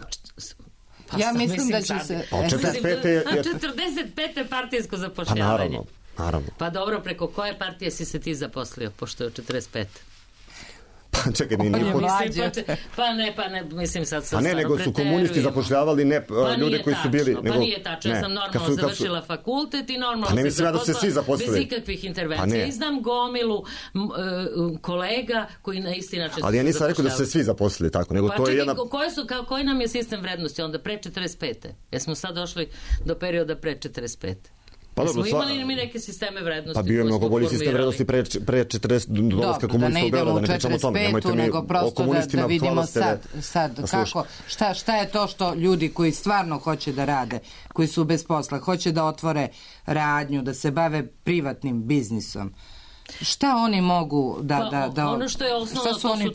Ja mislim da će se... Od 45. je... 45. partijsko zapošljavanje. Pa naravno. Pa dobro, preko koje partije si se ti zaposlio, pošto je od 45. Pa čekaj, nije Pa ne, mislim sad sam stvarno preterujem. Nego su komunisti zapošljavali ljude koji su bili... Pa nije tačno, ja sam normalno završila fakultet i normalno se zaposlila bez ikakvih intervencija. I znam gomilu kolega koji na isti način su zapošljavali. Ali ja nisam rekao da su se svi zaposlili tako, nego to je jedna... Koji nam je sistem vrednosti onda pre 45. Jesmo sad došli do perioda pre 45. Pa smo imali mi neke sisteme vrednosti? Pa bio je mnogo bolji sistem vrednosti pre 40 dolaska komunista u Beograd, da ne pričamo o tome. Nemojte mi o komunistima da vidimo sad kako, šta je to što ljudi koji stvarno hoće da rade, koji su bez posla, hoće da otvore radnju, da se bave privatnim biznisom. Šta oni mogu da ono što je osnovno,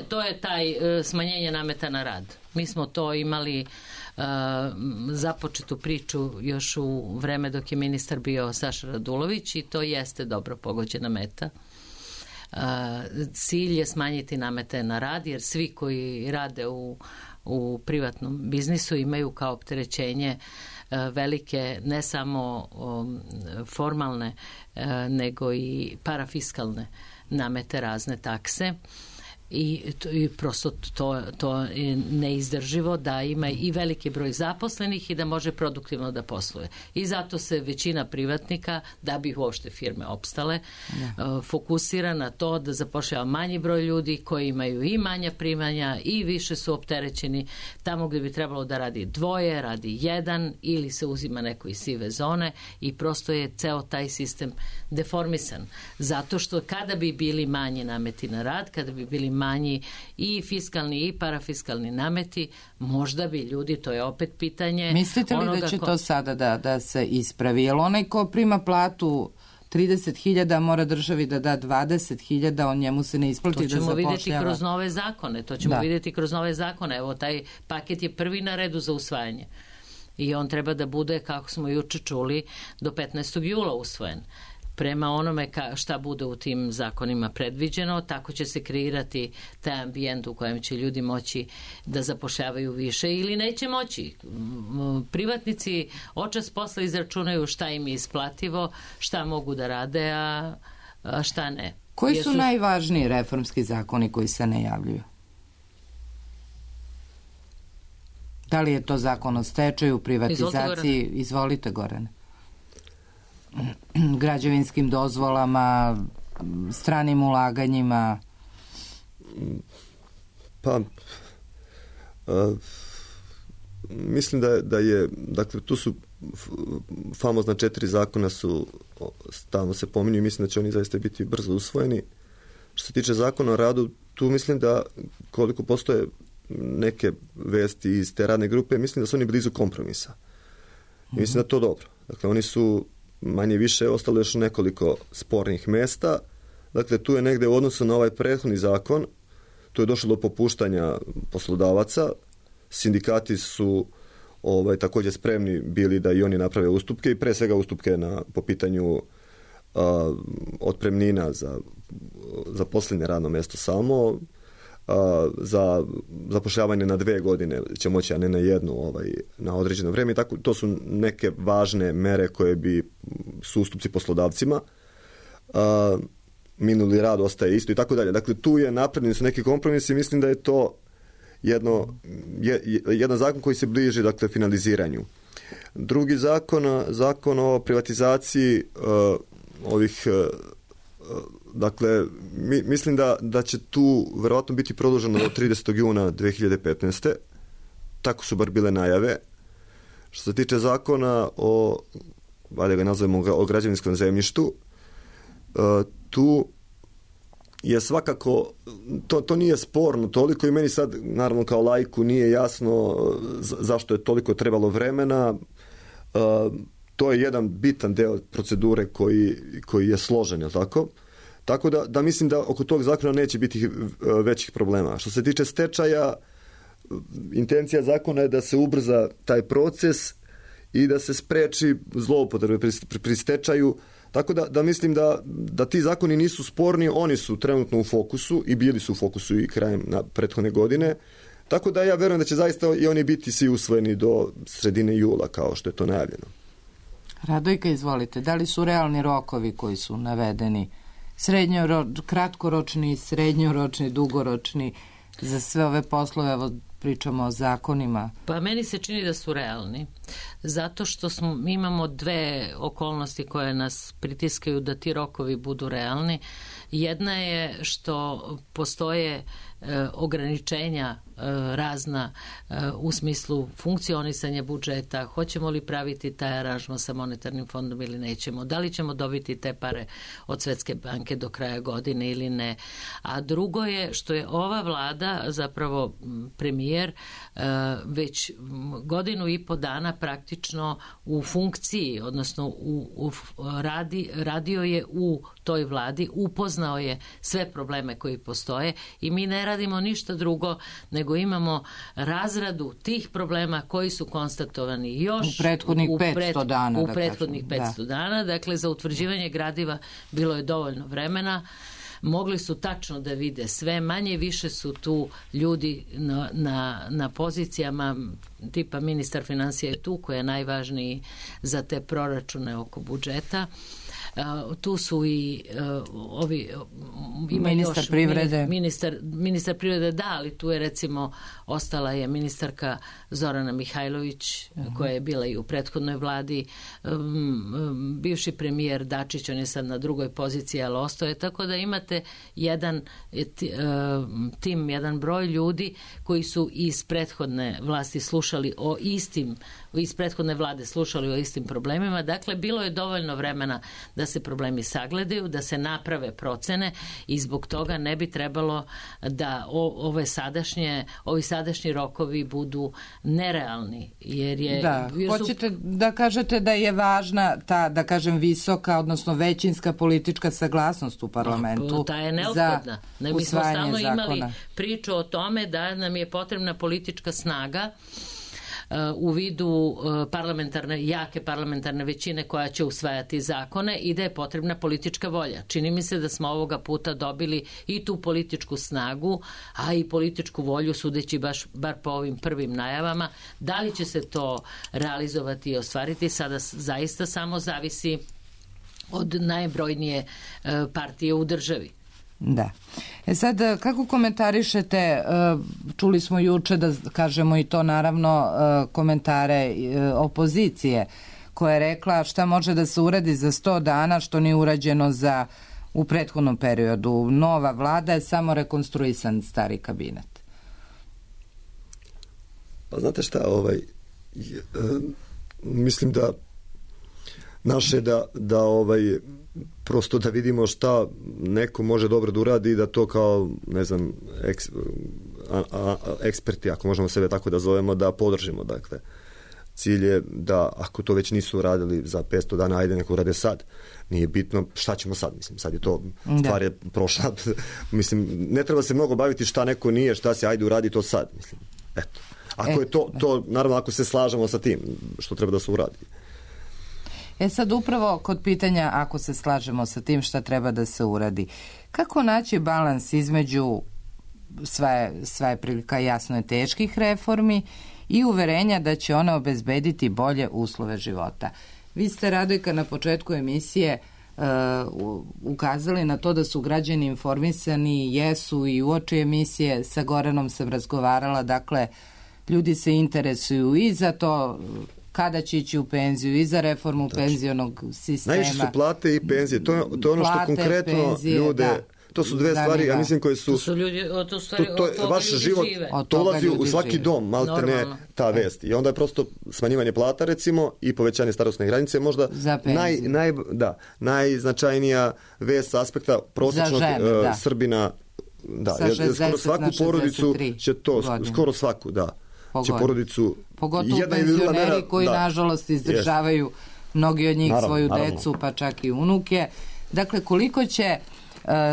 to je taj smanjenje nameta na rad. Mi smo to imali započetu priču još u vreme dok je ministar bio Saša Radulović i to jeste dobro pogođena meta. Cilj je smanjiti namete na rad jer svi koji rade u privatnom biznisu imaju kao opterećenje velike ne samo formalne nego i parafiskalne namete, razne takse. I prosto to je neizdrživo da ima i veliki broj zaposlenih i da može produktivno da posluje. I zato se većina privatnika, da bi uopšte firme opstale, fokusira na to da zapošljava manji broj ljudi koji imaju i manja primanja i više su opterećeni. Tamo gdje bi trebalo da radi dvoje, radi jedan ili se uzima neko iz sive zone i prosto je ceo taj sistem deformisan. Zato što kada bi bili manji nameti na rad, kada bi bili manji i fiskalni i parafiskalni nameti, možda bi ljudi, to je opet pitanje... Mislite li da će to sada da se ispravi? Jer onaj ko prima platu 30.000 mora državi da da 20.000, on njemu se ne isplati da zapošljava. To ćemo vidjeti kroz nove zakone. Vidjeti kroz nove zakone. Evo, taj paket je prvi na redu za usvajanje. I on treba da bude, kako smo juče čuli, do 15. jula usvojen. Prema onome šta bude u tim zakonima predviđeno, tako će se kreirati taj ambijent u kojem će ljudi moći da zapošljavaju više ili neće moći. Privatnici očas posla izračunaju šta im je isplativo, šta mogu da rade, a šta ne. Koji su najvažniji reformski zakoni koji se najavljuju? Da li je to zakon o stečaju, privatizaciji? Izvolite, Gorane. Građevinskim dozvolama, stranim ulaganjima? Pa, mislim da je, dakle, tu su famozna 4 zakona su stalno se pominju i mislim da će oni zaista biti brzo usvojeni. Što se tiče zakona o radu, tu mislim da koliko postoje neke vesti iz te radne grupe, mislim da su oni blizu kompromisa. I mislim da je to dobro. Dakle, oni su manje više ostalo još nekoliko spornih mesta. Dakle, tu je negde u odnosu na ovaj prethodni zakon, tu je došlo do popuštanja poslodavaca. Sindikati su također spremni bili da i oni naprave ustupke i pre svega ustupke po pitanju otpremnina za posljednje radno mjesto samo, za zapošljavanje na 2 godine će moći, a ne na jednu na određeno vrijeme. I tako, to su neke važne mere koje su ustupci poslodavcima. Minuli rad ostaje isto i tako dalje. Dakle, tu je napravljeni su neki kompromisi i mislim da je to jedan zakon koji se bliži, dakle, finaliziranju. Drugi zakon o privatizaciji ovih dakle, mislim da će tu verovatno biti produženo do 30. juna 2015. Tako su bar bile najave. Što se tiče zakona ajde ga nazovemo o građevinskom zemljištu, tu je svakako, to nije sporno toliko i meni sad, naravno kao laiku, nije jasno zašto je toliko trebalo vremena. To je jedan bitan deo procedure koji je složen, je li tako? Tako da mislim da oko tog zakona neće biti većih problema. Što se tiče stečaja, intencija zakona je da se ubrza taj proces i da se spreči zloupotrebe pri stečaju. Tako da mislim da ti zakoni nisu sporni, oni su trenutno u fokusu i bili su u fokusu i krajem prethodne godine. Tako da ja verujem da će zaista i oni biti svi usvojeni do sredine jula, kao što je to najavljeno. Radojka, izvolite. Da li su realni rokovi koji su navedeni? Kratkoročni, srednjoročni, dugoročni za sve ove poslove, evo pričamo o zakonima. Pa meni se čini da su realni, zato što imamo 2 okolnosti koje nas pritiskaju da ti rokovi budu realni. Jedna je što postoje ograničenja razna u smislu funkcionisanja budžeta, hoćemo li praviti taj aranžman sa monetarnim fondom ili nećemo, da li ćemo dobiti te pare od Svetske banke do kraja godine ili ne. A drugo je što je ova vlada, zapravo premijer, već 1.5 godina dana praktično u funkciji, odnosno radio je u toj vladi, upoznao je sve probleme koji postoje i mi ne radimo ništa drugo nego imamo razradu tih problema koji su konstatovani još u prethodnih 500 dana. U prethodnih 500 dana. Dakle, za utvrđivanje gradiva bilo je dovoljno vremena. Mogli su tačno da vide sve, manje više su tu ljudi na pozicijama, tipa ministar financija je tu, koji je najvažniji za te proračune oko budžeta. Tu su i ovi ministar privrede. Ministar privrede, da, ali tu je recimo ostala je ministarka Zorana Mihajlović, koja je bila i u prethodnoj vladi, bivši premijer Dačić, on je sad na drugoj poziciji, ali ostaje, tako da imate jedan tim, jedan broj ljudi koji su iz prethodne vlasti slušali o istim, iz prethodne vlade slušali o istim problemima. Dakle, bilo je dovoljno vremena da se problemi sagledaju, da se naprave procene i zbog toga ne bi trebalo da ovi sadašnji rokovi budu nerealni. Hoćete da kažete da je važna ta, da kažem, visoka, odnosno većinska politička saglasnost u parlamentu. Ta je neophodna. Mi smo stalno imali priču o tome da nam je potrebna politička snaga u vidu jake parlamentarne većine koja će usvajati zakone i da je potrebna politička volja. Čini mi se da smo ovoga puta dobili i tu političku snagu, a i političku volju, sudeći bar po ovim prvim najavama. Da li će se to realizovati i ostvariti, sada zaista samo zavisi od najbrojnije partije u državi. Da. Sad, kako komentarišete, čuli smo juče da kažemo i to naravno komentare opozicije koja je rekla šta može da se uradi za 100 dana što nije urađeno u prethodnom periodu. Nova vlada je samo rekonstruisan stari kabinet. Pa znate šta, mislim da naše prosto da vidimo šta neko može dobro da uradi i da to kao, ne znam, eksperti, ako možemo sebe tako da zovemo, da podržimo. Dakle, cilj je da ako to već nisu uradili za 500 dana, ajde neko urade sad. Nije bitno šta ćemo sad, mislim, sad je to, stvar je prošla. Mislim, ne treba se mnogo baviti šta neko nije, šta se, ajde uradi to sad, mislim. Eto. Ako je to, naravno, ako se slažemo sa tim, što treba da se uradi. Sad upravo kod pitanja, ako se slažemo sa tim šta treba da se uradi, kako naći balans između sva je prilika jasno je teških reformi i uverenja da će one obezbediti bolje uslove života? Vi ste, Radojka, na početku emisije ukazali na to da su građani informisani, jesu, i uoči emisije sa Goranom sam razgovarala, dakle, ljudi se interesuju i za to kada će ići u penziju i za reformu penzionog sistema. Najviše su plate i penzije. To je ono što konkretno ljude... To su dve stvari, ja mislim, koje su... To su ljudi, to je vaš život, to ulazi u svaki dom, malte ne ta vest. I onda je prosto smanjivanje plata, recimo, i povećanje starosne granice, možda najznačajnija vest sa aspekta prosječnog Srbina. Da, skoro svaku porodicu će to, skoro svaku, da. Će porodicu... Pogotovo penzioneri koji, nažalost, izdržavaju mnogi od njih svoju decu, pa čak i unuke. Dakle, koliko će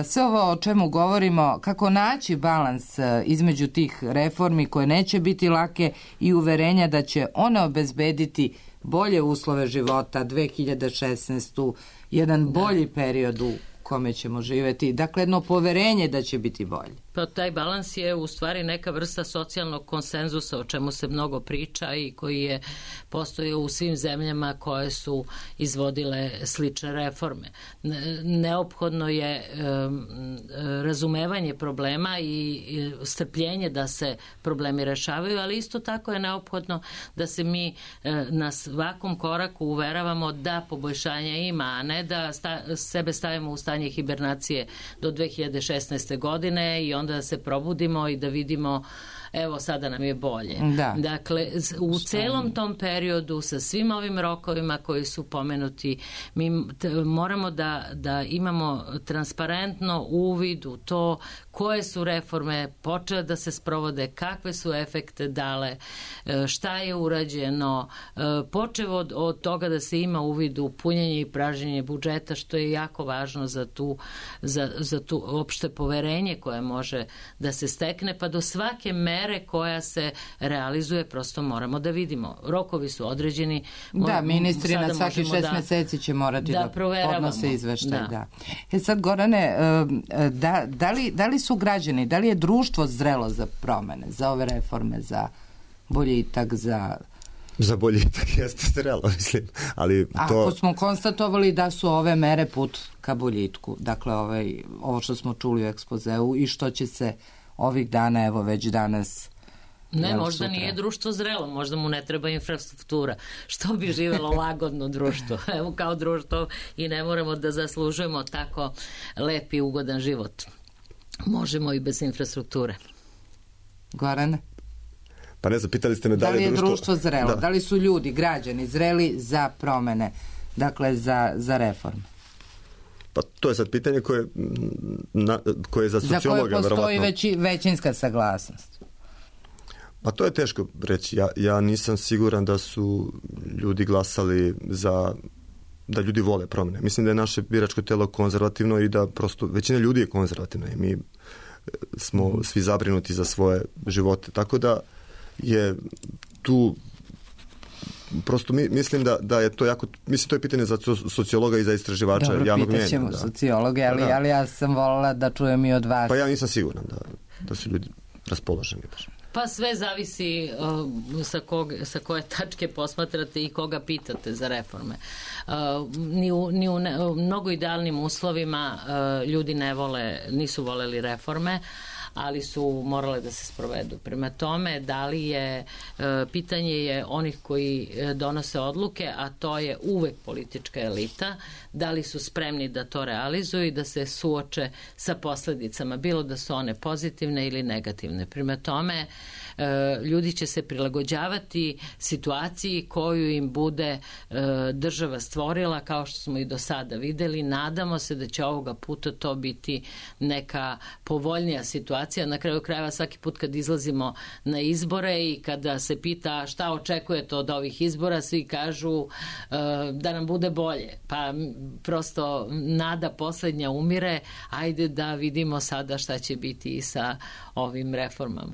sve ovo o čemu govorimo, kako naći balans između tih reformi koje neće biti lake i uverenja da će one obezbediti bolje uslove života, 2016. jedan bolji period u kome ćemo živjeti, dakle jedno poverenje da će biti bolje. Pa taj balans je u stvari neka vrsta socijalnog konsenzusa o čemu se mnogo priča i koji je postojao u svim zemljama koje su izvodile slične reforme. Neophodno je razumevanje problema i strpljenje da se problemi rešavaju, ali isto tako je neophodno da se mi na svakom koraku uveravamo da poboljšanja ima, a ne da sebe stavimo u stanje hibernacije do 2016. godine i onda da se probudimo i da vidimo evo sada nam je bolje. Dakle, u celom tom periodu sa svim ovim rokovima koji su pomenuti, mi moramo da imamo transparentno uvid u to koje su reforme počele da se sprovode, kakve su efekte dale, šta je urađeno, počev od toga da se ima uvid u punjenje i pražnjenje budžeta, što je jako važno za tu opšte poverenje koje može da se stekne, pa do svake mere koja se realizuje prosto moramo da vidimo. Rokovi su određeni. Da, ministri na svaki 6 meseci će morati da podnose izveštaj. Sad, Gorane, da li su građani, da li je društvo zrelo za promene, za ove reforme, za boljitak, za Za boljitak jeste zrelo, mislim. Ali to... Ako smo konstatovali da su ove mere put ka boljitku, dakle ovo što smo čuli u ekspozeu i što će se ovih dana, evo već danas... Ne, možda nije društvo zrelo, možda mu ne treba infrastruktura. Što bi živelo lagodno društvo? Evo kao društvo i ne moramo da zaslužujemo tako lep i ugodan život. Možemo i bez infrastrukture. Gorane? Pa ne znam, pitali ste me da li je društvo zrelo, da li su ljudi, građani zreli za promene, dakle za reforme? Pa to je sad pitanje koje je za sociologa za koje postoji većinska saglasnost. Pa to je teško reći. Ja nisam siguran da su ljudi glasali da ljudi vole promjene. Mislim da je naše biračko telo konzervativno i da prosto većina ljudi je konzervativna i mi smo svi zabrinuti za svoje živote. Tako da je tu prosto mislim da je to jako, mislim to je pitanje za sociologa i za istraživača javnog mjenja. Dobro, pitaćemo sociologe, ali ja sam voljela da čujem i od vas. Pa ja nisam siguran da su ljudi raspoloženi baš. Pa sve zavisi sa koje tačke posmatrate i koga pitate za reforme. Ni u mnogo idealnim uslovima ljudi nisu voleli reforme, ali su morale da se sprovedu. Prema tome, da li je, pitanje je onih koji donose odluke, a to je uvek politička elita, da li su spremni da to realizuju i da se suoče sa posledicama, bilo da su one pozitivne ili negativne. Prema tome, ljudi će se prilagođavati situaciji koju im bude država stvorila, kao što smo i do sada videli. Nadamo se da će ovoga puta to biti neka povoljnija situacija. Na kraju krajeva svaki put kad izlazimo na izbore i kada se pita šta očekujete od ovih izbora, svi kažu da nam bude bolje. Pa prosto nada poslednja umire, ajde da vidimo sada šta će biti i sa ovim reformama.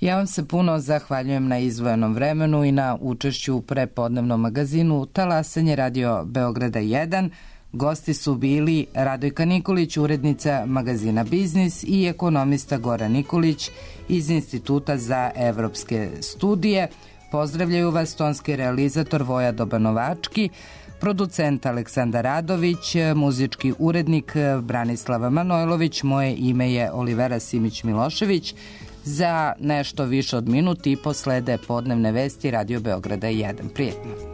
Ja vam se puno zahvaljujem na izdvojenom vremenu i na učešću u prepodnevnom magazinu Talasanje Radio Beograda 1. Gosti su bili Radojka Nikolić, urednica magazina Biznis, i ekonomista Goran Nikolić iz Instituta za evropske studije. Pozdravljaju vas tonski realizator Voja Dobanovački, producent Aleksandar Radović, muzički urednik Branislava Manojlović, moje ime je Olivera Simić-Milošević. Za nešto više od minut i po slede podnevne vesti Radio Beograda 1. Prijetno.